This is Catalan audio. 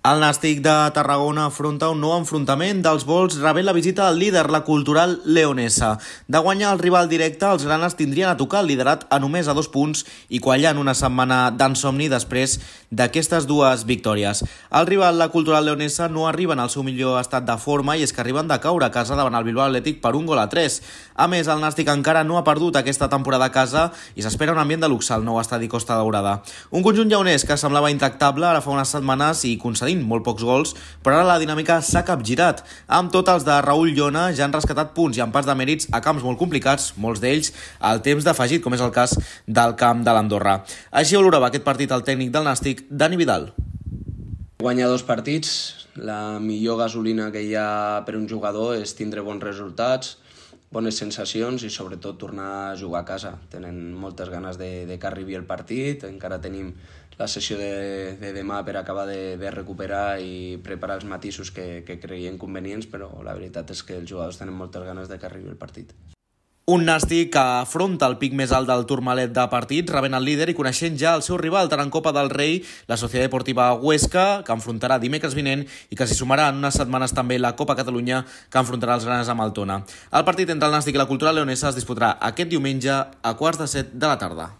El Nàstic de Tarragona afronta un nou enfrontament dels vols rebent la visita del líder, la Cultural Leonesa. De guanyar el rival directe, els granes tindrien a tocar el liderat a només a 2 punts i quallant una setmana d'ensomni després d'aquestes dues victòries. El rival, la Cultural Leonesa, no arriben al seu millor estat de forma i és que arriben de caure a casa davant el Bilbao Athletic per 1-3. A més, el Nàstic encara no ha perdut aquesta temporada a casa i s'espera un ambient de luxe al nou estadi Costa Daurada. Un conjunt lleonès que semblava intractable ara fa unes setmanes i concedint molt pocs gols, però ara la dinàmica s'ha capgirat. Amb tot, els de Raül Llona ja han rescatat punts i empats de mèrits a camps molt complicats, molts d'ells al temps d'afegit, com és el cas del camp de l'Andorra. Així valorava aquest partit el tècnic del Nàstic, Dani Vidal. Guanyar 2 partits, la millor gasolina que hi ha per un jugador és tindre bons resultats, bones sensacions i sobretot tornar a jugar a casa. Tenen moltes ganes de que arribi el partit, encara tenim la sessió de demà per acabar de recuperar i preparar els matisos que creiem convenients, però la veritat és que els jugadors tenen moltes ganes de que arribi el partit. Un Nàstic que afronta el pic més alt del turmalet de partits, rebent el líder i coneixent ja el seu rival, tant en Copa del Rei, la Societat Deportiva Huesca, que enfrontarà dimecres vinent i que s'hi sumarà en unes setmanes també la Copa Catalunya, que enfrontarà els granes amb el Tona. El partit entre el Nàstic i la Cultural Leonesa es disputarà aquest diumenge a 6:45 de la tarda.